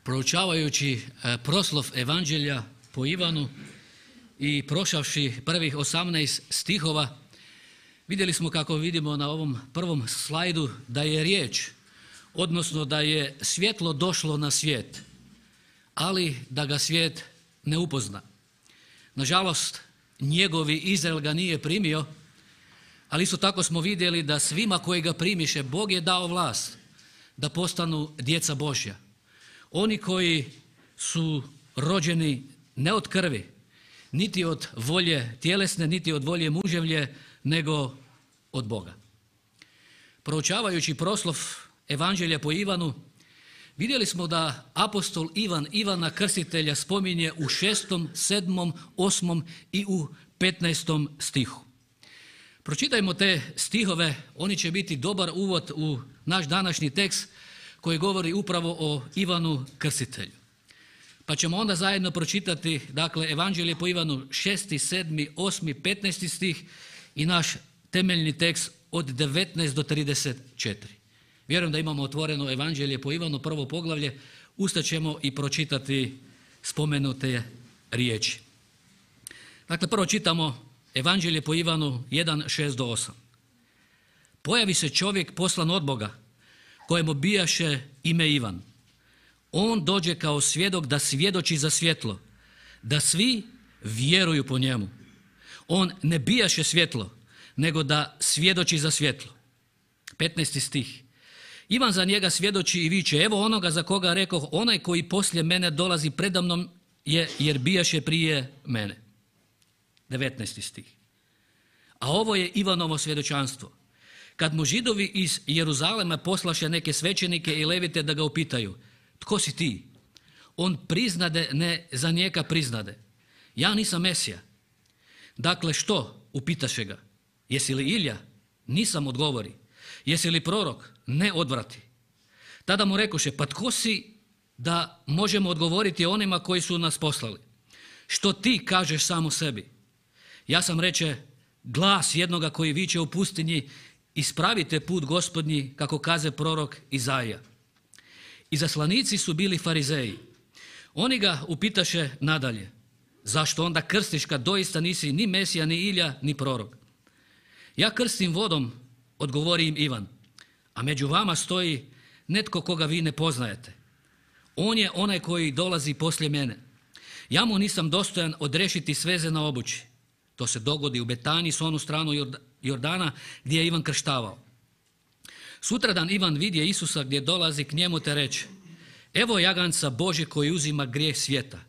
Proučavajući proslov Evanđelja po Ivanu i prošavši prvih 18 stihova, vidjeli smo, kako vidimo na ovom prvom slajdu, da je riječ, odnosno da je svjetlo došlo na svijet, ali da ga svijet ne upozna. Nažalost, njegovi Izrael ga nije primio, ali isto tako smo vidjeli da svima koji ga primiše, Bog je dao vlast da postanu djeca Božja. Oni koji su rođeni ne od krvi, niti od volje tjelesne, niti od volje muževlje, nego od Boga. Proučavajući proslov Evanđelja po Ivanu, vidjeli smo da apostol Ivan Ivana Krstitelja spominje u 6., 7., 8. i u 15. stihu. Pročitajmo te stihove, oni će biti dobar uvod u naš današnji tekst koji govori upravo o Ivanu Krstitelju. Pa ćemo onda zajedno pročitati, dakle, Evanđelje po Ivanu 6., 7., 8., 15. stih i naš temeljni tekst od 19 do 34. Vjerujem da imamo otvoreno Evanđelje po Ivanu, prvo poglavlje, ustaćemo i pročitati spomenute riječi. Dakle, prvo čitamo Evanđelje po Ivanu 1, 6 do 8. Pojavi se čovjek poslan od Boga, kojemu bijaše ime Ivan. On dođe kao svjedok da svjedoči za svjetlo, da svi vjeruju po njemu. On ne bijaše svjetlo, nego da svjedoči za svjetlo. 15. stih. Ivan za njega svjedoči i viče, evo onoga za koga rekoh, onaj koji poslije mene dolazi predamnom je, jer bijaše prije mene. 19. stih. A ovo je Ivanovo svjedočanstvo. Kad mu Židovi iz Jeruzalema poslaše neke svećenike i levite da ga upitaju, tko si ti? On priznade, ne za njega priznade. Ja nisam Mesija. Dakle, što? Upitaše ga. Jesi li Ilija? Nisam, odgovori. Jesi li prorok? Ne, odvrati. Tada mu rekoše, pa tko si da možemo odgovoriti onima koji su nas poslali? Što ti kažeš samo sebi? Ja sam, reče, glas jednoga koji viče u pustinji, ispravite put Gospodnji, kako kaze prorok Izaija. Izaslanici su bili farizeji. Oni ga upitaše nadalje, zašto onda krstiš kad doista nisi ni Mesija, ni Ilija, ni prorok? Ja krstim vodom, odgovori im Ivan, a među vama stoji netko koga vi ne poznajete. On je onaj koji dolazi poslije mene. Ja mu nisam dostojan odrešiti sveze na obući. To se dogodi u Betaniji, s onu stranu Jordana gdje je Ivan krštavao. Sutradan Ivan vidje Isusa gdje dolazi k njemu te reče, evo jaganca Božje koji uzima grijeh svijeta.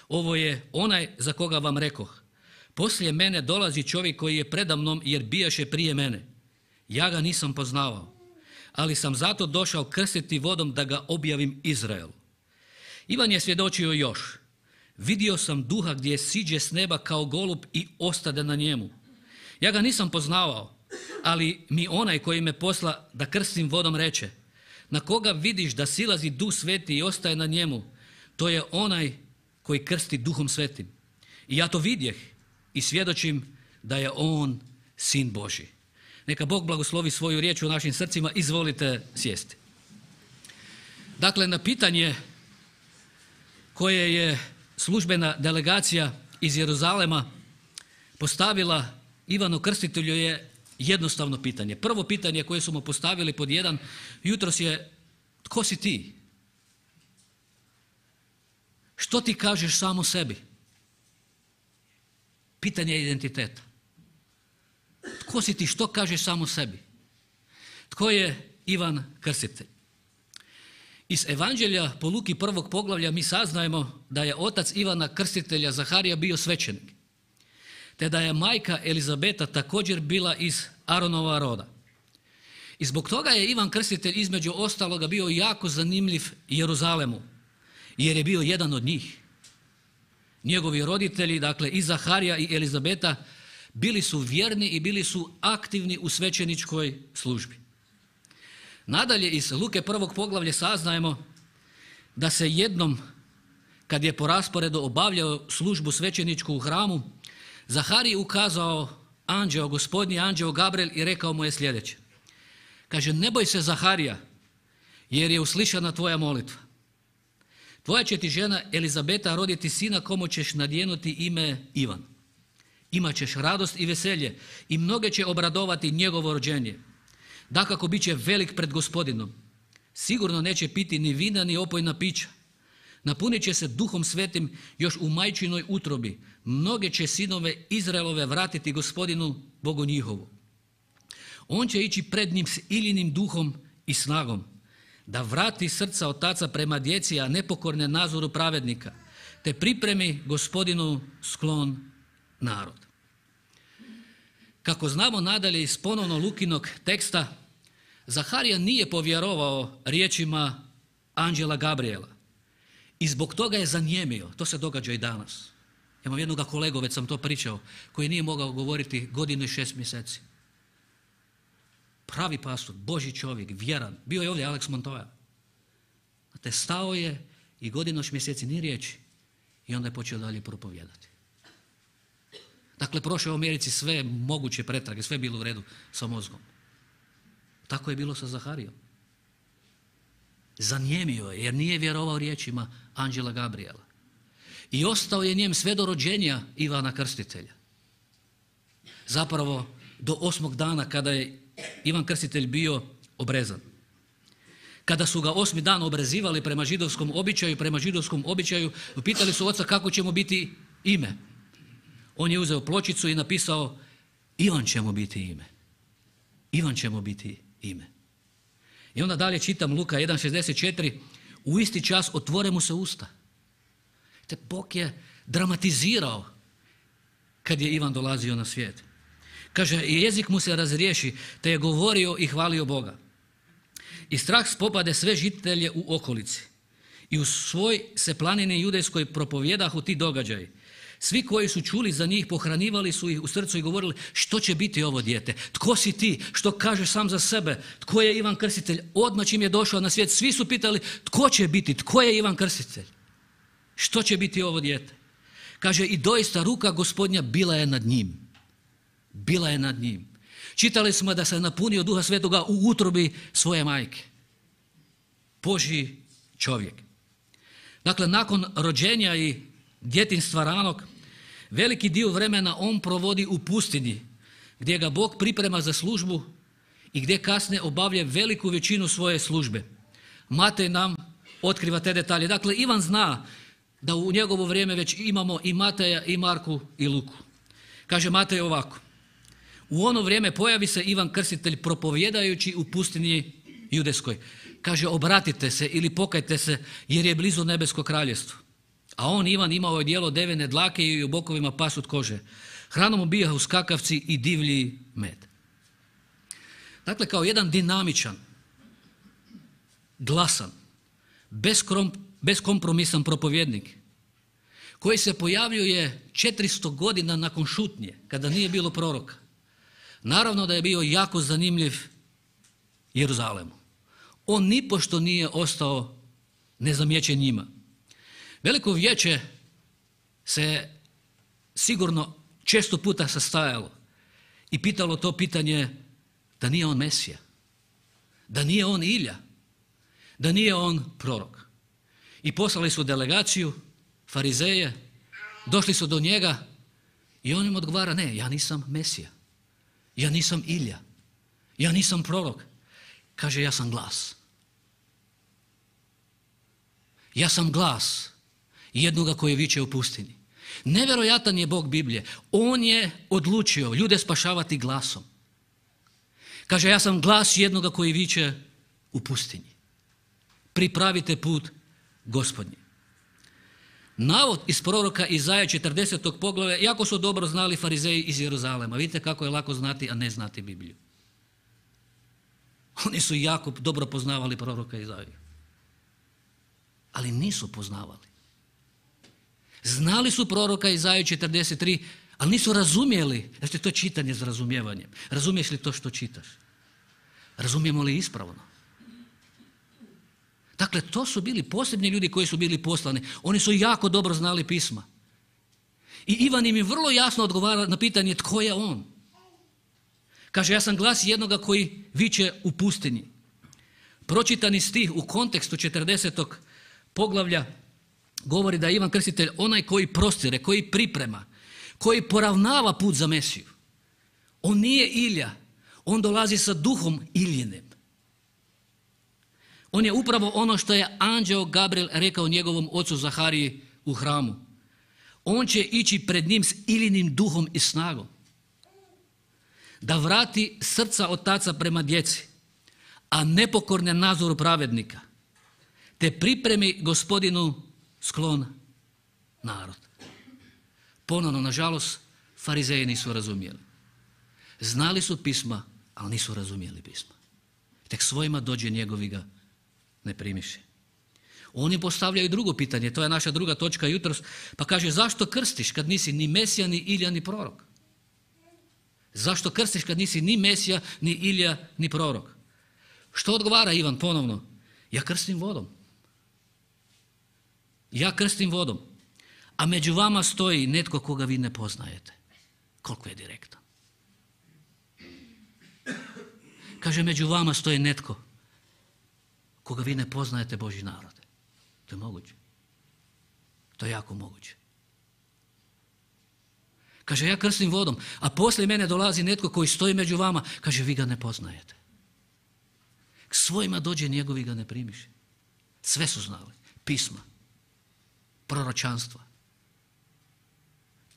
Ovo je onaj za koga vam rekoh. Poslije mene dolazi čovjek koji je predamnom jer bijaše prije mene. Ja ga nisam poznavao, ali sam zato došao krstiti vodom da ga objavim Izraelu. Ivan je svjedočio još. Vidio sam duha gdje siđe s neba kao golub i ostade na njemu. Ja ga nisam poznavao, ali mi onaj koji me posla da krstim vodom reče, na koga vidiš da silazi duh sveti i ostaje na njemu, to je onaj koji krsti duhom svetim. I ja to vidjeh i svjedočim da je on sin Božji. Neka Bog blagoslovi svoju riječ u našim srcima, izvolite sjesti. Dakle, na pitanje koje je službena delegacija iz Jeruzalema postavila Ivanu Krstitelju je jednostavno pitanje. Prvo pitanje koje su mu postavili pod 1 jutros je, tko si ti? Što ti kažeš samo sebi? Pitanje identiteta. Tko si ti, što kažeš samo sebi? Tko je Ivan Krstitelj? Iz Evanđelja po Luki 1. poglavlja mi saznajemo da je otac Ivana Krstitelja Zaharija bio svećenik, te da je majka Elizabeta također bila iz Aronova roda. I zbog toga je Ivan Krstitelj između ostaloga bio jako zanimljiv Jeruzalemu, jer je bio jedan od njih. Njegovi roditelji, dakle i Zaharija i Elizabeta, bili su vjerni i bili su aktivni u svećeničkoj službi. Nadalje, iz Luke 1. poglavlja saznajemo da se jednom, kad je po rasporedu obavljao službu svećeničku u hramu, Zahariji ukazao anđeo, gospodnji anđeo Gabriel i rekao mu je sljedeće. Kaže, ne boj se Zaharija, jer je uslišana tvoja molitva. tvoja će ti žena Elizabeta roditi sina komu ćeš nadjenuti ime Ivan. Imaćeš radost i veselje i mnoge će obradovati njegovo rođenje. Dakako bit će velik pred Gospodinom. Sigurno neće piti ni vina ni opojna pića. Napunit će se Duhom Svetim još u majčinoj utrobi. Mnoge će sinove Izraelove vratiti Gospodinu Bogu njihovu. On će ići pred njim s Iljinim duhom i snagom, da vrati srca otaca prema djeci, a nepokorne nazoru pravednika, te pripremi Gospodinu sklon narod. Kako znamo nadalje iz ponovno Lukinog teksta, Zaharija nije povjerovao riječima anđela Gabriela i zbog toga je zanijemio. To se događa i danas. Imam jednog kolegu, već sam to pričao, koji nije mogao govoriti 1 godinu i 6 mjeseci. Pravi pastor, Božji čovjek, vjeran. Bio je ovdje Alex Montoya. Znate, stao je i 1 godinu i 6 mjeseci ni riječi i onda je počeo dalje propovijedati. Dakle, prošao je u Americi sve moguće pretrage, sve je bilo u redu sa mozgom. Tako je bilo sa Zaharijom. Zanijemio je jer nije vjerovao riječima anđela Gabriela. I ostao je njem sve do rođenja Ivana Krstitelja. Zapravo do 8. dana kada je Ivan Krstitelj bio obrezan. Kada su ga 8. dan obrezivali prema židovskom običaju, pitali su oca kako će mu biti ime. On je uzeo pločicu i napisao Ivan će mu biti ime. Ivan će mu biti ime. I onda dalje čitam Luka 1.64. U isti čas otvore mu se usta. Te Bog je dramatizirao kad je Ivan dolazio na svijet. Kaže, jezik mu se razriješi, te je govorio i hvalio Boga. I strah spopade sve žitelje u okolici. I u svoj se planini judejskoj propovjedahu ti događaji. Svi koji su čuli za njih pohranivali su ih u srcu i govorili što će biti ovo dijete? Tko si ti? Što kažeš sam za sebe? Tko je Ivan Krstitelj? Odmah čim je došao na svijet, svi su pitali tko će biti? Tko je Ivan Krstitelj? Što će biti ovo dijete? Kaže, i doista ruka Gospodnja bila je nad njim. Bila je nad njim. Čitali smo da se napunio Duha Svetoga u utrobi svoje majke. Božji čovjek. Dakle, nakon rođenja i djetinjstva ranog, veliki dio vremena on provodi u pustinji, gdje ga Bog priprema za službu i gdje kasnije obavlja veliku većinu svoje službe. Matej nam otkriva te detalje. Dakle, Ivan zna da u njegovo vrijeme već imamo i Mateja, i Marku, i Luku. Kaže Matej ovako. U ono vrijeme pojavi se Ivan Krstitelj propovjedajući u pustinji judeskoj. Kaže, obratite se ili pokajte se jer je blizu nebesko kraljevstvo. A on, Ivan, imao je dijelo devene dlake i u bokovima pasut kože. Hranom mu bijahu skakavci i divlji med. Dakle, kao jedan dinamičan, glasan, beskompromisan propovjednik, koji se pojavljuje 400 godina nakon šutnje, kada nije bilo proroka. Naravno da je bio jako zanimljiv Jeruzalemu. On nipošto nije ostao nezamijećen njima. Veliko vijeće se sigurno često puta sastajalo i pitalo to pitanje da nije on Mesija, da nije on Ilja, da nije on prorok. I poslali su delegaciju, farizeje, došli su do njega i on im odgovara, ne, ja nisam Mesija, ja nisam Ilja, ja nisam prorok. Kaže, ja sam glas. Ja sam glas jednoga koji viče u pustinji. Nevjerojatan je Bog Biblije. On je odlučio ljude spašavati glasom. Kaže, ja sam glas jednoga koji viče u pustinji. Pripravite put Gospodnji. Navod iz proroka Izaja 40. poglavlja jako su dobro znali farizeji iz Jeruzalema. Vidite kako je lako znati, a ne znati Bibliju. Oni su jako dobro poznavali proroka Izaju. Ali nisu poznavali. Znali su proroka Izaju 43, ali nisu razumjeli. Znači, to je čitanje s razumijevanjem. Razumiješ li to što čitaš? Razumijemo li ispravno? Dakle, to su bili posebni ljudi koji su bili poslani. Oni su jako dobro znali pisma. I Ivan im je vrlo jasno odgovara na pitanje tko je on. Kaže, ja sam glas jednoga koji viče u pustinji. Pročitani stih u kontekstu 40. poglavlja govori da je Ivan Krstitelj onaj koji prostire, koji priprema, koji poravnava put za Mesiju. On nije Ilija, on dolazi sa duhom Iljinim. On je upravo ono što je anđeo Gabriel rekao njegovom ocu Zahariji u hramu. On će ići pred njim s Iljinim duhom i snagom, da vrati srca otaca prema djeci, a nepokorne nazoru pravednika, te pripremi Gospodinu sklon narod. Ponovno, nažalost, farizeji nisu razumjeli. Znali su pisma, ali nisu razumjeli pisma. Tek svojima dođe njegovi ga ne primiše. Oni postavljaju drugo pitanje, to je naša druga točka jutros, pa kaže zašto krstiš kad nisi ni Mesija, ni Ilija, ni prorok? Zašto krstiš kad nisi ni Mesija, ni Ilija, ni prorok? Što odgovara Ivan ponovno? Ja krstim vodom. Ja krstim vodom, a među vama stoji netko koga vi ne poznajete. Koliko je direktan. Kaže, među vama stoji netko koga vi ne poznajete, Božji narode. To je moguće. To je jako moguće. Kaže, ja krstim vodom, a poslije mene dolazi netko koji stoji među vama. Kaže, vi ga ne poznajete. K svojima dođe njegovi ga ne primiše. Sve su znali. Pisma, proročanstva.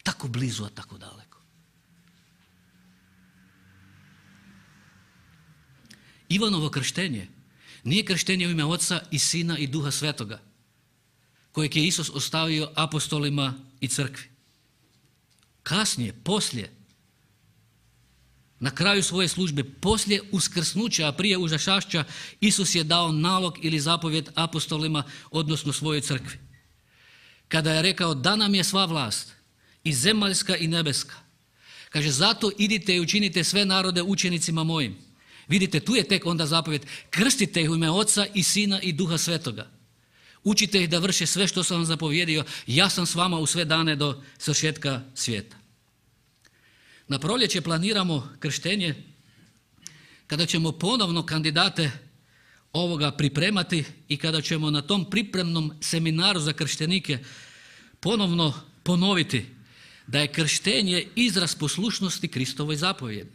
Tako blizu, a tako daleko. Ivanovo krštenje nije krštenje u ime Oca i Sina i Duha Svetoga, kojeg je Isus ostavio apostolima i crkvi. Kasnije, poslije, na kraju svoje službe, poslije uskrsnuća, a prije užašašća, Isus je dao nalog ili zapovjed apostolima, odnosno svojoj crkvi. Kada je rekao da nam je sva vlast, i zemaljska i nebeska. Kaže, zato idite i učinite sve narode učenicima mojim. Vidite, tu je tek onda zapovjed, krstite ih u ime Oca i Sina i Duha Svetoga. Učite ih da vrše sve što sam vam zapovjedio, ja sam s vama u sve dane do svršetka svijeta. Na proljeće planiramo krštenje kada ćemo ponovno kandidate ovoga pripremati i kada ćemo na tom pripremnom seminaru za krštenike ponovno ponoviti da je krštenje izraz poslušnosti Kristovoj zapovjedi.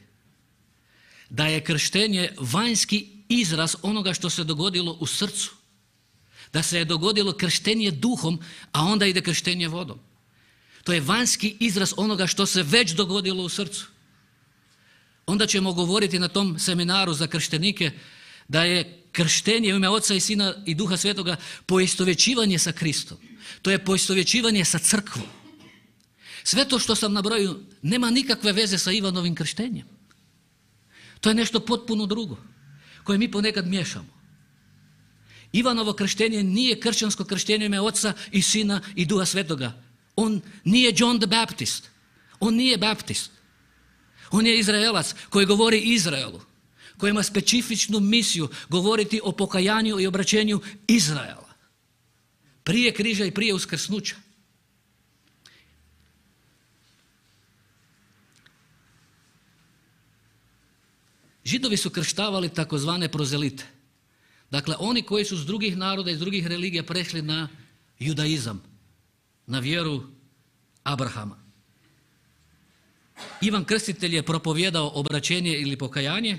Da je krštenje vanjski izraz onoga što se dogodilo u srcu. Da se je dogodilo krštenje duhom, a onda ide krštenje vodom. To je vanjski izraz onoga što se već dogodilo u srcu. Onda ćemo govoriti na tom seminaru za krštenike da je krštenje u ime Oca i Sina i Duha Svetoga poistovjećivanje sa Kristom. To je poistovjećivanje sa crkvom. Sve to što sam nabrojio nema nikakve veze sa Ivanovim krštenjem. To je nešto potpuno drugo, koje mi ponekad miješamo. Ivanovo krštenje nije kršćansko krštenje u ime Oca i Sina i Duha Svetoga. On nije John the Baptist. On nije baptist. On je Izraelac koji govori Izraelu, koji ima specifičnu misiju govoriti o pokajanju i obraćenju Izraela. Prije križa i prije uskrsnuća. Židovi su krštavali takozvane prozelite. Dakle, oni koji su s drugih naroda i s drugih religija prešli na judaizam, na vjeru Abrahama. Ivan Krstitelj je propovijedao obraćenje ili pokajanje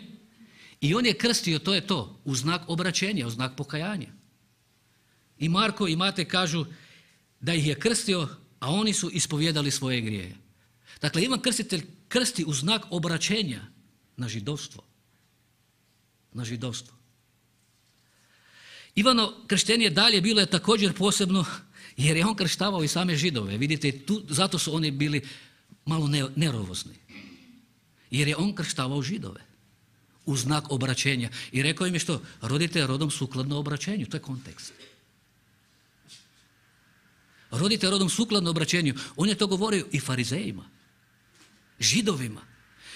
i on je krstio, to je to, u znak obraćenja, u znak pokajanja. I Marko i Matej kažu da ih je krstio, a oni su ispovijedali svoje grijehe. Dakle, Ivan Krstitelj krsti u znak obraćenja na židovstvo. Na židovstvo. Ivano krštenje dalje bilo je također posebno jer je on krštavao i same Židove. Vidite, zato su oni bili malo nervozni. Jer je on krštavao Židove u znak obraćenja. I rekao im je što? Rodite rodom sukladno obraćenju. To je kontekst. Rodite rodom sukladno obraćenju. On je to govorio i farizejima, Židovima.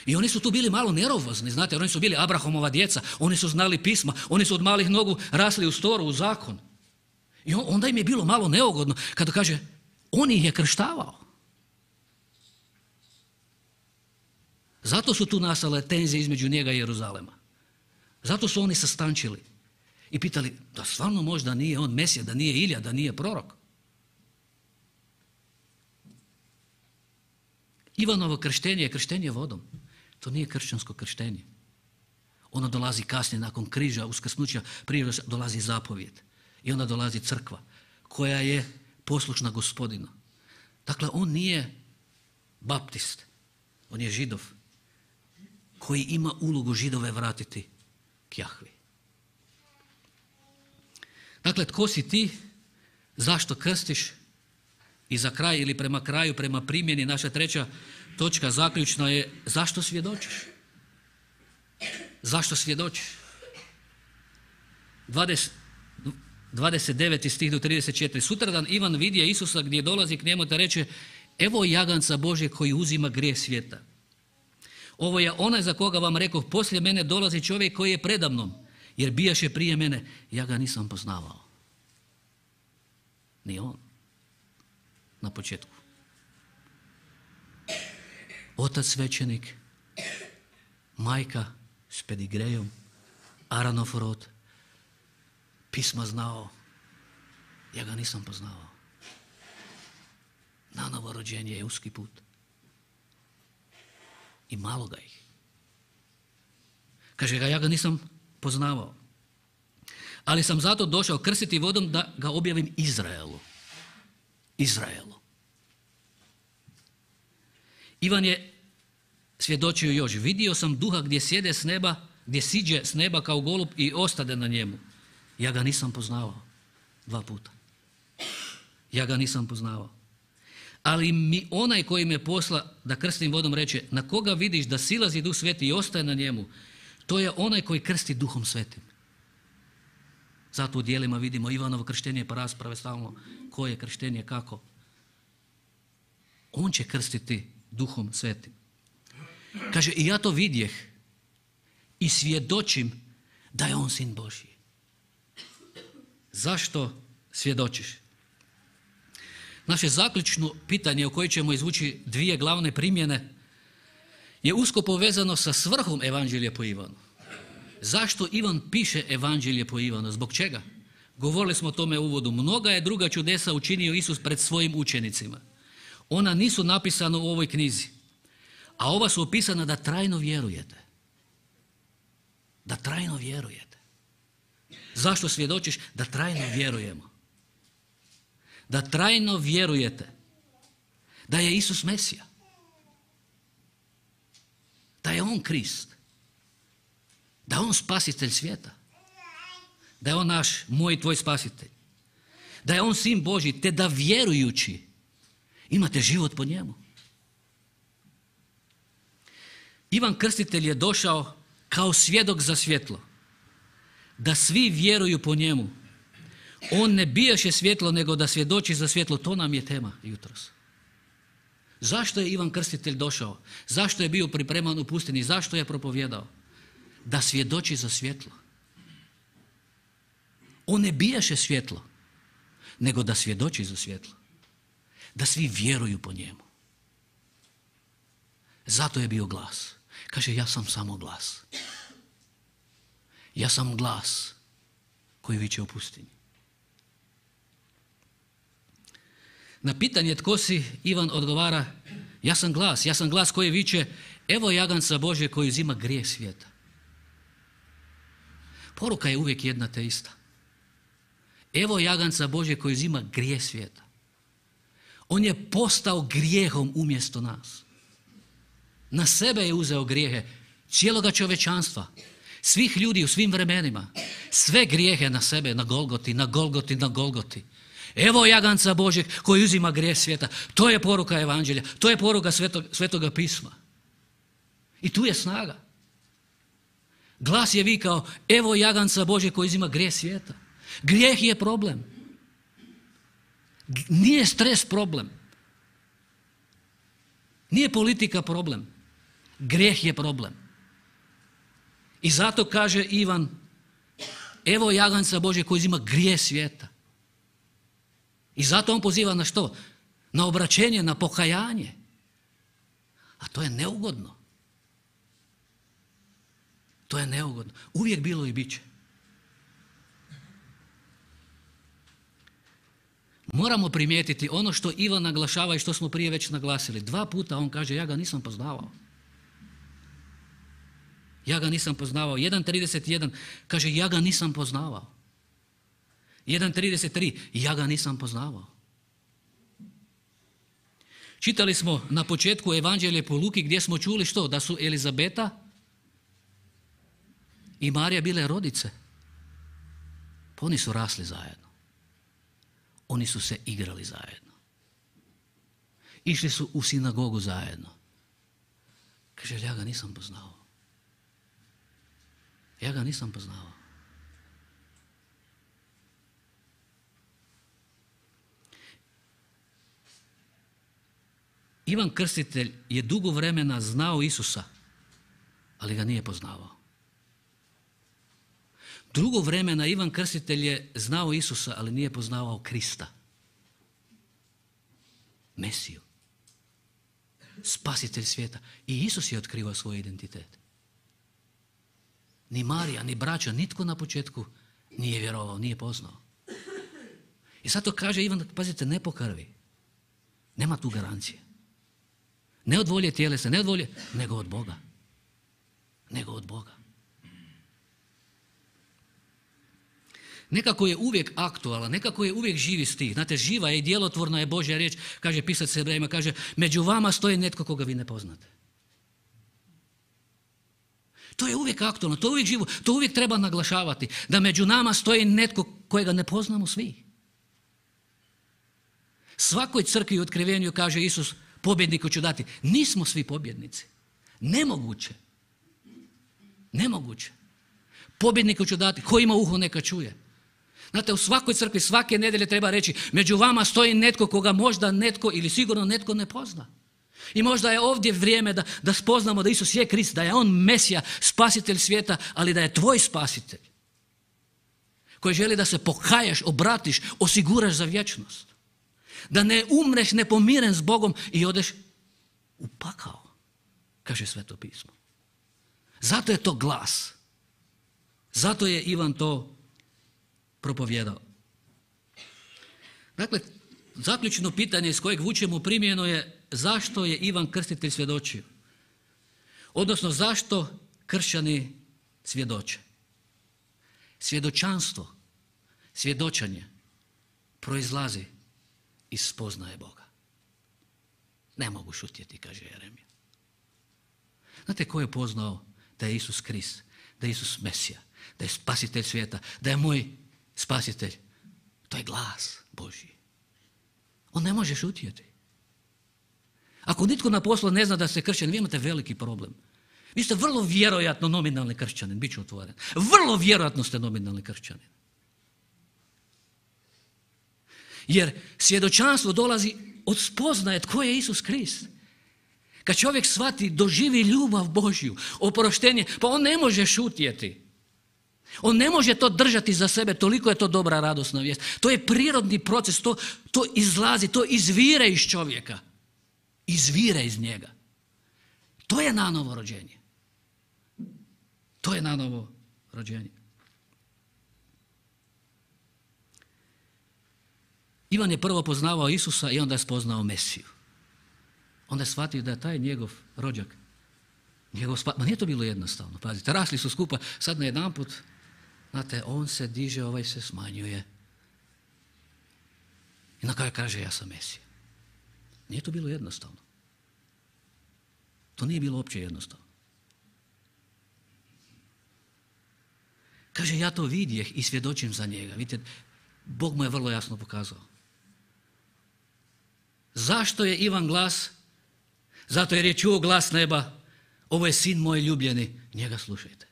I oni su tu bili malo nervozni, znate, jer oni su bili Abrahamova djeca, oni su znali pisma, oni su od malih nogu rasli u Toru, u zakon. I onda im je bilo malo neugodno kada kaže, on ih je krštavao. Zato su tu nastale tenzije između njega i Jeruzalema. Zato su oni sastančili i pitali, da stvarno možda nije on Mesija, da nije Ilija, da nije prorok. Ivanovo krštenje je krštenje vodom. To nije kršćansko krštenje. Ono dolazi kasnije, nakon križa, uskrsnuća, prije dolazi zapovjed. I onda dolazi crkva koja je poslušna Gospodinu. Dakle, on nije baptist, on je Židov koji ima ulogu Židove vratiti k Jahvi. Dakle, tko si ti, zašto krstiš i za kraj ili prema kraju, prema primjeni, naša treća točka zaključna je zašto svjedočiš? Zašto svjedočiš? 29. stih do 34. Sutradan Ivan vidje Isusa gdje dolazi k njemu te reče, evo jaganca Božje koji uzima grijeh svijeta. Ovo je onaj za koga vam rekoh, poslije mene dolazi čovjek koji je predamnom, jer bijaše prije mene, ja ga nisam poznavao. Ni on. Na početku. Otac svećenik, majka s pedigrejom, Aronov rod, pisma znao, ja ga nisam poznavao. Na novo rođenje je uski put. I malo ga ih. Kaže ga, ja ga nisam poznavao. Ali sam zato došao krstiti vodom da ga objavim Izraelu. Izraelu. Ivan je svjedočio još, vidio sam duha gdje sjede s neba, gdje siđe s neba kao golub i ostade na njemu. Ja ga nisam poznavao. 2 puta. Ja ga nisam poznavao. Ali mi onaj koji me posla da krstim vodom reče, na koga vidiš da silazi Duh Sveti i ostaje na njemu, to je onaj koji krsti Duhom Svetim. Zato u dijelima vidimo Ivanovo krštenje pa rasprave stalno koje je krštenje, kako. On će krstiti Duhom Svetim. Kaže, i ja to vidjeh i svjedočim da je on Sin Božji. Zašto svjedočiš? Naše zaključno pitanje o kojoj ćemo izvući 2 glavne primjene je usko povezano sa svrhom Evanđelja po Ivanu. Zašto Ivan piše Evanđelje po Ivanu? Zbog čega? Govorili smo o tome u uvodu. Mnoga je druga čudesa učinio Isus pred svojim učenicima. Ona nisu napisana u ovoj knjizi, a ova su opisana da trajno vjerujete. Da trajno vjerujete. Zašto svjedočiš? Da trajno vjerujemo. Da trajno vjerujete da je Isus Mesija. Da je on Krist. Da je on spasitelj svijeta. Da je on naš, moj i tvoj spasitelj. Da je on Sin Božji, te da vjerujući imate život po njemu. Ivan Krstitelj je došao kao svjedok za svjetlo. Da svi vjeruju po njemu. On ne bijaše svjetlo, nego da svjedoči za svjetlo. To nam je tema jutros. Zašto je Ivan Krstitelj došao? Zašto je bio pripreman u pustinji? Zašto je propovjedao? Da svjedoči za svjetlo. On ne bijaše svjetlo, nego da svjedoči za svjetlo. Da svi vjeruju po njemu. Zato je bio glas. Kaže, ja sam samo glas. Ja sam glas koji viče u pustinji. Na pitanje tko si, Ivan odgovara, ja sam glas koji viče, evo jaganca Božje koji uzima grijeh svijeta. Poruka je uvijek jedna te ista. Evo jaganca Božje koji uzima grijeh svijeta. On je postao grijehom umjesto nas. Na sebe je uzeo grijehe cijeloga čovječanstva, svih ljudi u svim vremenima. Sve grijehe na sebe, na Golgoti, na Golgoti, na Golgoti. Evo jaganca Božjeg koji uzima grijeh svijeta. To je poruka Evanđelja, to je poruka Svetoga pisma. I tu je snaga. Glas je vikao, evo jaganca Božjeg koji uzima grijeh svijeta. Grijeh je problem. Nije stres problem. Nije politika problem. Grijeh je problem. I zato kaže Ivan, evo jaganca Božjeg koji uzima grijeh svijeta. I zato on poziva na što? Na obraćenje, na pokajanje. A to je neugodno. To je neugodno. Uvijek bilo i bit će. Moramo primijetiti ono što Ivan naglašava i što smo prije već naglasili. 2 puta on kaže ja ga nisam poznavao. Ja ga nisam poznavao. 1.31 kaže ja ga nisam poznavao. 1.33 ja ga nisam poznavao. Čitali smo na početku Evanđelje po Luki gdje smo čuli što? Da su Elizabeta i Marija bile rodice. Pa oni su rasli zajedno. Oni su se igrali zajedno. Išli su u sinagogu zajedno. Kaže, ja ga nisam poznao. Ja ga nisam poznao. Ivan Krstitelj je dugo vremena znao Isusa, ali ga nije poznavao. Dugo vremena Ivan Krstitelj je znao Isusa, ali nije poznavao Krista. Mesiju. Spasitelj svijeta. I Isus je otkrivao svoj identitet. Ni Marija, ni braća, nitko na početku nije vjerovao, nije poznao. I zato kaže Ivan, pazite, ne po krvi. Nema tu garancije. Ne od volje tjelesa, ne od volje, nego od Boga. Nego od Boga. Nekako je uvijek aktualan, nekako je uvijek živi stih. Znate, živa je i djelotvorna je Božja riječ, kaže pisac Hebrejima, kaže, među vama stoji netko koga vi ne poznate. To je uvijek aktualno, to je uvijek živo, to uvijek treba naglašavati, da među nama stoji netko kojega ne poznamo svi. Svakoj crkvi u otkrivenju kaže Isus, pobjedniku ću dati. Nismo svi pobjednici. Nemoguće. Nemoguće. Pobjedniku ću dati. Ko ima uho neka čuje. Znate, u svakoj crkvi svake nedjelje treba reći, među vama stoji netko koga možda netko ili sigurno netko ne pozna. I možda je ovdje vrijeme da spoznamo da Isus je Krist, da je On Mesija, spasitelj svijeta, ali da je tvoj spasitelj. Koji želi da se pokajaš, obratiš, osiguraš za vječnost. Da ne umreš nepomiren s Bogom i odeš u pakao, kaže Sveto pismo. Zato je to glas. Zato je Ivan to propovjedao. Dakle, zaključno pitanje iz kojeg vučemo primjenu je zašto je Ivan Krstitelj svjedočio? Odnosno, zašto kršćani svjedoče? Svjedočanstvo, svjedočanje proizlazi iz spoznaje Boga. Ne mogu šutjeti, kaže Jeremija. Znate ko je poznao da je Isus Krist, da je Isus Mesija, da je spasitelj svijeta, da je moj spasitelj? To je glas Božji. On ne može šutjeti. Ako nitko na poslu ne zna da ste kršćani, vi imate veliki problem. Vi ste vrlo vjerojatno nominalni kršćanin, bit ću otvoren. Vrlo vjerojatno ste nominalni kršćanin. Jer svjedočanstvo dolazi od spoznaje tko je Isus Krist. Kad čovjek shvati, doživi ljubav Božju, oproštenje, pa on ne može šutjeti. On ne može to držati za sebe, toliko je to dobra radosna vijest. To je prirodni proces, to izlazi, to izvire iz čovjeka. Izvire iz njega. To je nanovo rođenje. To je nanovo rođenje. Ivan je prvo poznavao Isusa i onda je spoznao Mesiju. Onda je shvatio da je taj njegov rođak, ma nije to bilo jednostavno, pazite, rasli su skupa, sad najedanput, znate, on se diže, ovaj se smanjuje. I na kraju kaže, ja sam Mesija. Nije to bilo jednostavno. To nije bilo uopće jednostavno. Kaže, ja to vidjeh i svjedočim za njega. Vidite, Bog mu je vrlo jasno pokazao. Zašto je Ivan glas? Zato jer je čuo glas neba, ovo je sin moj ljubljeni, njega slušajte.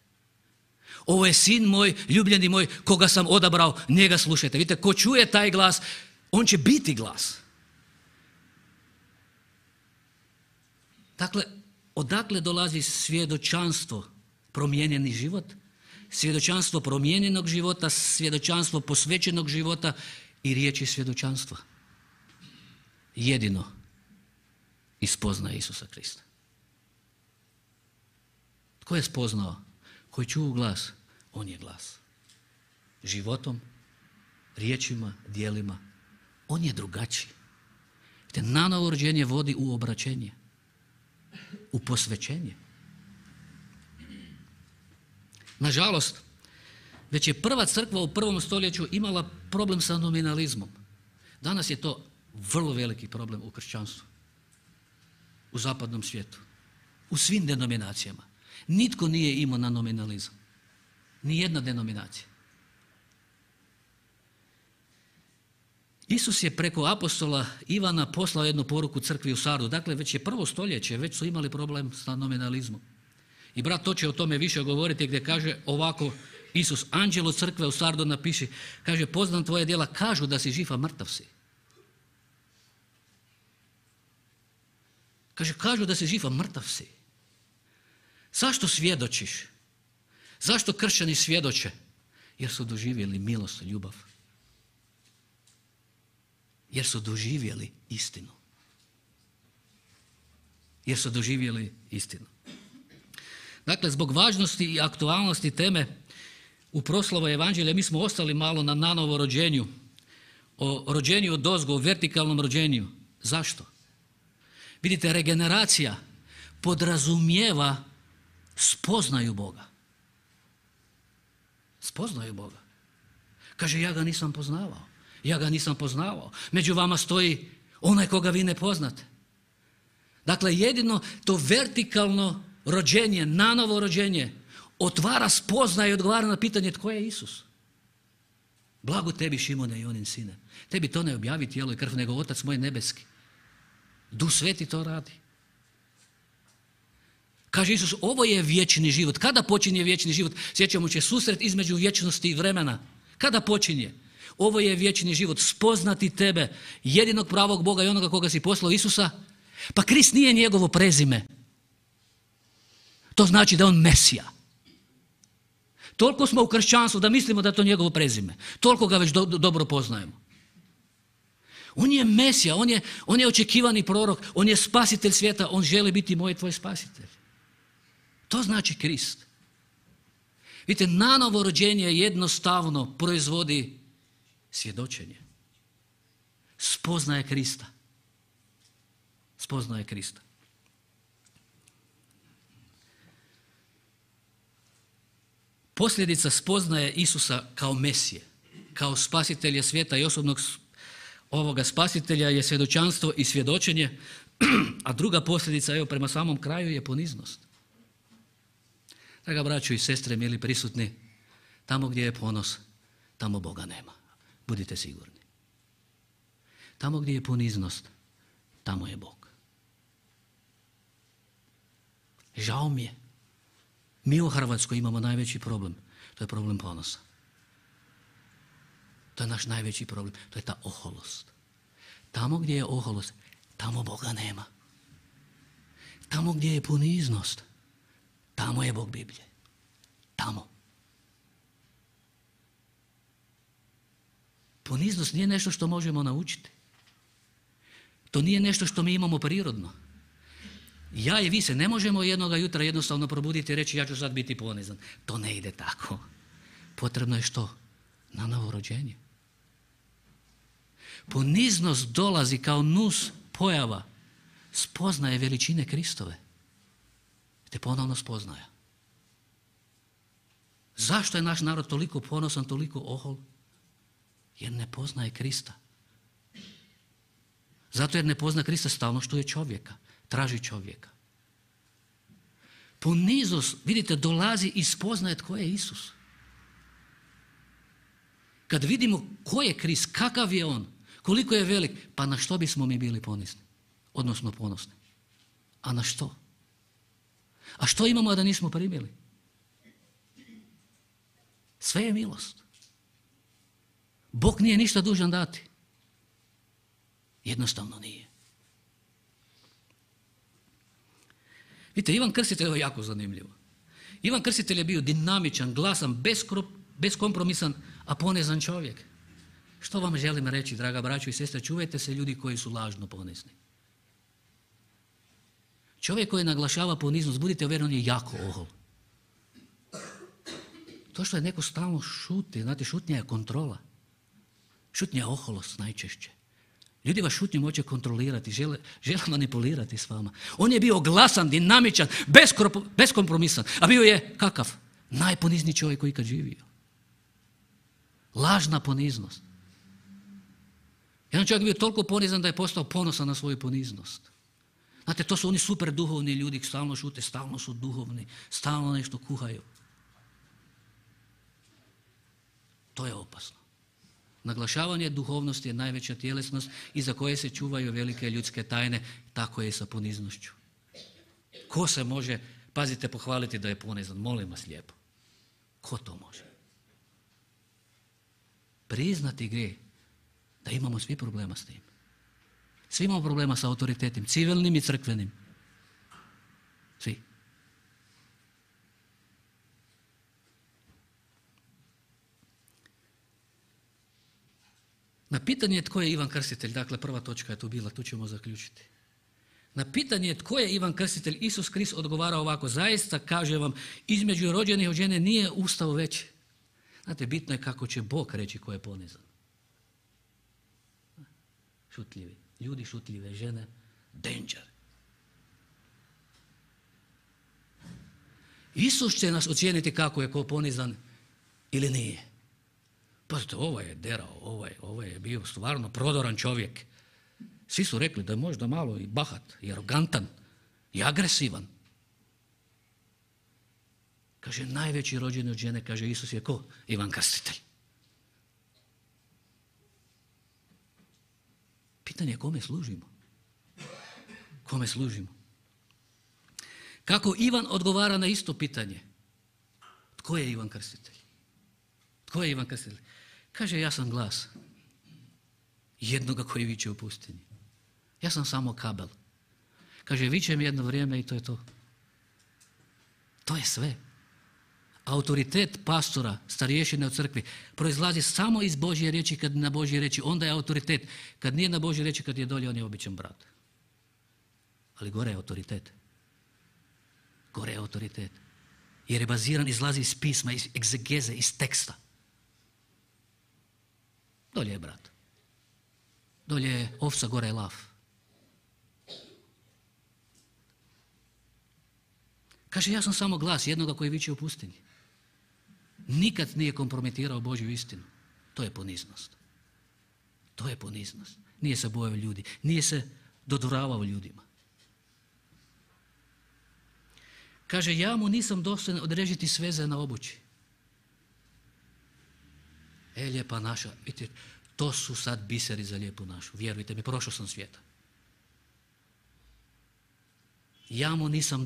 Ovo je sin moj, ljubljeni moj, koga sam odabrao, njega slušajte. Vidite, ko čuje taj glas, on će biti glas. Dakle, odakle dolazi svjedočanstvo, promijenjeni život, svjedočanstvo promijenjenog života, svjedočanstvo posvećenog života i riječi svjedočanstva? Jedino iz spoznaje Isusa Krista. Tko je spoznao? Koji čuo glas, on je glas. Životom, riječima, djelima, On je drugačiji. Nanovo rođenje vodi u obraćenje, u posvećenje. Nažalost, već je prva crkva u prvom stoljeću imala problem sa nominalizmom. Danas je to vrlo veliki problem u kršćanstvu, u zapadnom svijetu, u svim denominacijama. Nitko nije imao na nominalizam. Nijedna denominacija. Isus je preko apostola Ivana poslao jednu poruku crkvi u Sardu. Dakle, već je prvo stoljeće, već su imali problem sa nominalizmom. I brat to će o tome više govoriti gdje kaže ovako Isus, anđelu crkve u Sardu napiši, kaže, poznam tvoje djela, kažu da si živ, a mrtav si. Kaže, kažu da si živ, a mrtav si. Zašto svjedočiš? Zašto kršćani svjedoče? Jer su doživjeli milost i ljubav. Jer su doživjeli istinu. Jer su doživjeli istinu. Dakle, zbog važnosti i aktualnosti teme u proslavu evanđelja mi smo ostali malo na nanovo rođenju, o rođenju odozgo, o vertikalnom rođenju. Zašto? Vidite, regeneracija podrazumijeva spoznaju Boga. Spoznaju Boga. Kaže, ja ga nisam poznavao. Ja ga nisam poznavao. Među vama stoji onaj koga vi ne poznate. Dakle, jedino to vertikalno rođenje, nanovo rođenje, otvara, spoznaje i odgovara na pitanje tko je Isus. Blago tebi, Šimone i onin sine. Tebi to ne objavi tijelo i krv, nego Otac moj nebeski. Duh Sveti to radi. Kaže Isus, ovo je vječni život. Kada počinje vječni život? Sjećamo se susret između vječnosti i vremena. Kada počinje? Ovo je vječni život, spoznati tebe, jedinog pravog Boga i onoga koga si poslao, Isusa. Pa Krist nije njegovo prezime. To znači da je on Mesija. Toliko smo u kršćanstvu da mislimo da je to njegovo prezime. Toliko ga već dobro poznajemo. On je Mesija, on je očekivani prorok, on je spasitelj svijeta, on želi biti moj i tvoj spasitelj. To znači Krist. Vidite, nanovo rođenje jednostavno proizvodi svjedočenje. Spoznaje Krista. Spoznaje Krista. Posljedica spoznaje Isusa kao Mesije, kao spasitelja svijeta i osobnog ovoga spasitelja je svjedočanstvo i svjedočenje, a druga posljedica, evo prema samom kraju, je poniznost. Draga braćo i sestre, mili prisutni, tamo gdje je ponos, tamo Boga nema. Budite sigurni. Tamo gdje je poniznost, tamo je Bog. Žao mi je. Mi u Hrvatskoj imamo najveći problem. To je problem ponosa. To je naš najveći problem. To je ta oholost. Tamo gdje je oholost, tamo Boga nema. Tamo gdje je poniznost, tamo je Bog Biblije. Tamo. Poniznost nije nešto što možemo naučiti. To nije nešto što mi imamo prirodno. Ja i vi se ne možemo jednoga jutra jednostavno probuditi i reći ja ću sad biti ponizan. To ne ide tako. Potrebno je što? Na novo rođenje. Poniznost dolazi kao nus pojava spoznaje veličine Kristove. Te ponovno spoznaja. Zašto je naš narod toliko ponosan, toliko ohol? Jer ne poznaje Krista. Zato jer ne pozna Krista, stalno štuje čovjeka. Traži čovjeka. Poniznost, vidite, dolazi i spoznaje tko je Isus. Kad vidimo ko je Krist, kakav je on, koliko je velik, pa na što bismo mi bili ponizni? Odnosno ponosni. A na što? A što imamo a da nismo primili? Sve je milost. Bog nije ništa dužan dati. Jednostavno nije. Vidite, Ivan Krstitelj je jako zanimljivo. Ivan Krstitelj je bio dinamičan, glasan, beskompromisan, a ponizan čovjek. Što vam želim reći, draga braćo i sestre, čuvajte se ljudi koji su lažno ponizni. Čovjek koji naglašava poniznost, budite uvjereni, on je jako ohol. To što je neko stalno šuti, znate, šutnja je kontrola. Šutnja je oholost najčešće. Ljudi vas šutnjom hoće kontrolirati, žele manipulirati s vama. On je bio glasan, dinamičan, beskompromisan, a bio je kakav? Najponizniji čovjek koji ikad živio. Lažna poniznost. Jedan čovjek je bio toliko ponizan da je postao ponosan na svoju poniznost. Znate, to su oni super duhovni ljudi, stalno šute, stalno su duhovni, stalno nešto kuhaju. To je opasno. Naglašavanje duhovnosti je najveća tjelesnost iza koje se čuvaju velike ljudske tajne, tako je i sa poniznošću. Ko se može, pazite, pohvaliti da je ponizan? Molim vas lijepo. Ko to može? Priznati grijeh, da imamo svi problema s tim. Svi imamo problema sa autoritetom, civilnim i crkvenim. Svi. Na pitanje tko je Ivan Krstitelj, dakle prva točka je tu bila, tu ćemo zaključiti. Na pitanje tko je Ivan Krstitelj, Isus Krist odgovara ovako: zaista kažem vam, između rođenih od žene nije ustao veći. Znate, bitno je kako će Bog reći ko je ponizan. Šutljivi. Ljudi šutljive, žene, danger. Isus će nas ocijeniti kako je ko ponizan ili nije. Pazite, ovaj je derao, ovaj je bio stvarno prodoran čovjek. Svi su rekli da je možda malo i bahat, i arogantan, i agresivan. Kaže, najveći rođeni od žene, kaže, Isus je ko? Ivan Krstitelj. Pitanje je kome služimo. Kome služimo. Kako Ivan odgovara na isto pitanje? Tko je Ivan Krstitelj? Tko je Ivan Krstitelj? Kaže, ja sam glas jednoga koji viče u pustinji. Ja sam samo kabel. Kaže, vičem jedno vrijeme i to je to. To je sve. Autoritet pastora, starješine u crkvi, proizlazi samo iz Božje riječi. Kad na Božje riječi, onda je autoritet. Kad nije na Božje riječi, kad je dolje, on je običan brat. Ali gore je autoritet. Gore je autoritet. Jer je baziran, izlazi iz pisma, iz egzegeze, iz teksta. Dolje je brat. Dolje je ovca, gore je lav. Kaže, ja sam samo glas jednoga koji viče u pustinji. Nikad nije kompromitirao Božju istinu. To je poniznost. To je poniznost. Nije se bojao ljudi. Nije se dodvoravao ljudima. Kaže, ja mu nisam dostojan odrežiti sveze na obući. Lijepa naša, vidite, to su sad biseri za lijepu našu. Vjerujte mi, prošao sam svijeta. Ja mu nisam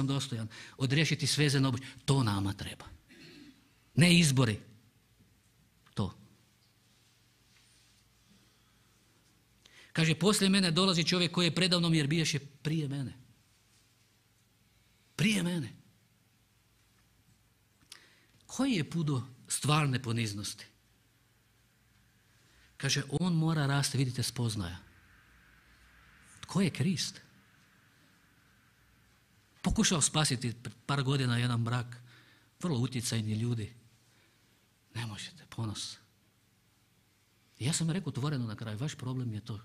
dostojan odriješiti sveze na obući. To nama treba. Ne izbori. To. Kaže, poslije mene dolazi čovjek koji je predavnom jer biješe prije mene. Prije mene. Koji je put do stvarne poniznosti? Kaže, on mora rasti, vidite, spoznaja. Tko je Krist? Pokušao spasiti pred par godina jedan brak, vrlo utjecajni ljudi. Ne možete, ponos. I ja sam rekao otvoreno na kraju, vaš problem je to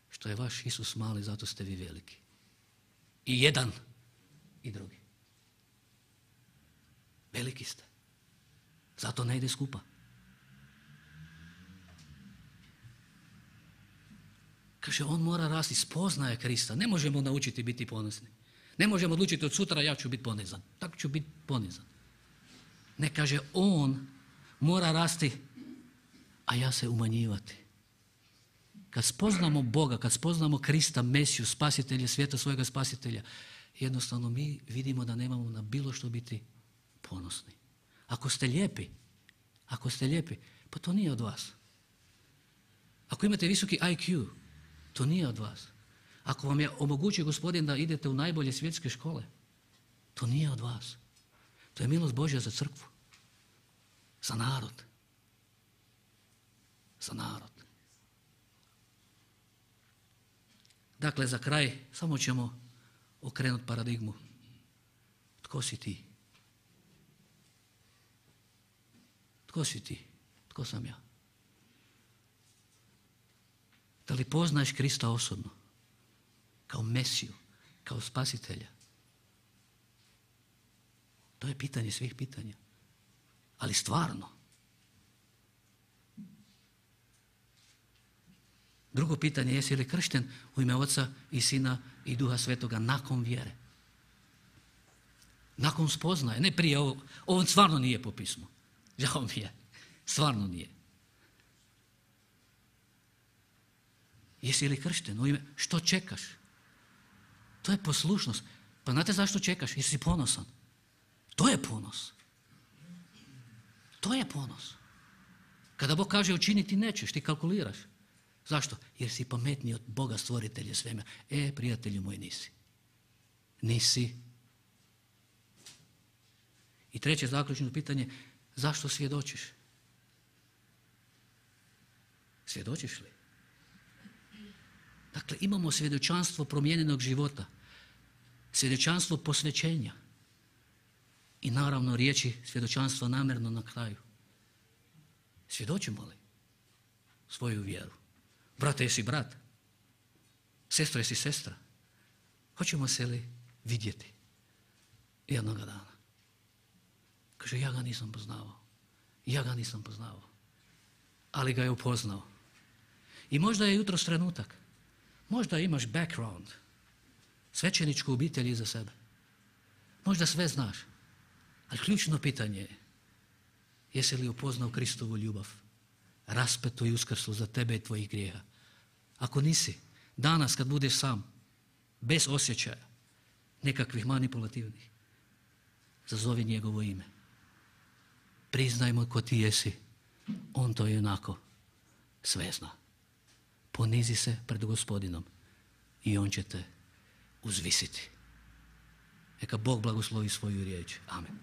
što je vaš Isus mali, zato ste vi veliki. I jedan i drugi. Veliki ste. Zato ne ide skupa. Kaže, on mora rasti, spoznaje Krista. Ne možemo naučiti biti ponosni. Ne možemo odlučiti od sutra ja ću biti ponizan. Tako ću biti ponizan. Ne, kaže, on mora rasti, a ja se umanjivati. Kad spoznamo Boga, kad spoznamo Krista, Mesiju, spasitelja, svijeta svojega spasitelja, jednostavno mi vidimo da nemamo na bilo što biti ponosni. Ako ste lijepi, pa to nije od vas. Ako imate visoki IQ, to nije od vas. Ako vam je omogućio Gospodin da idete u najbolje svjetske škole, to nije od vas. To je milost Božja za crkvu. Za narod. Za narod. Dakle, za kraj samo ćemo okrenuti paradigmu. Tko si ti? Tko si ti? Tko sam ja? Da li poznaješ Krista osobno? Kao Mesiju, kao Spasitelja? To je pitanje svih pitanja. Ali stvarno. Drugo pitanje, jesi li kršten u ime Oca i Sina i Duha Svetoga nakon vjere? Nakon spoznaje, ne prije ovo. Ovo stvarno nije po pismu. Žao mi je. Stvarno nije. Jesi li kršten u ime? Što čekaš? To je poslušnost. Pa znate zašto čekaš? Jer si ponosan. To je ponos. To je ponos. Kada Bog kaže učiniti nećeš, ti kalkuliraš. Zašto? Jer si pametniji od Boga stvoritelja svemira. Prijatelju moj, nisi. Nisi. I treće zaključno pitanje, zašto svjedočiš? Svjedočiš li? Dakle, imamo svjedočanstvo promijenjenog života, svjedočanstvo posvećenja i naravno riječi svjedočanstva namjerno na kraju. Svjedočimo li svoju vjeru? Brate, jesi brat? Sestra, jesi sestra? Hoćemo se li vidjeti jednoga dana? Kaže, ja ga nisam poznavao. Ja ga nisam poznavao. Ali ga je upoznao. I možda je jutros trenutak. Možda imaš background, svećeničku obitelj iza sebe. Možda sve znaš. Ali ključno pitanje je, jesi li upoznao Kristovu ljubav, raspetu i uskrslu za tebe i tvojih grijeha? Ako nisi, danas kad budeš sam, bez osjećaja, nekakvih manipulativnih, zazovi njegovo ime. Priznajmo ko ti jesi, on to je onako sve zna. Ponizi se pred Gospodinom i on će te uzvisiti. Neka Bog blagoslovi svoju riječ. Amen.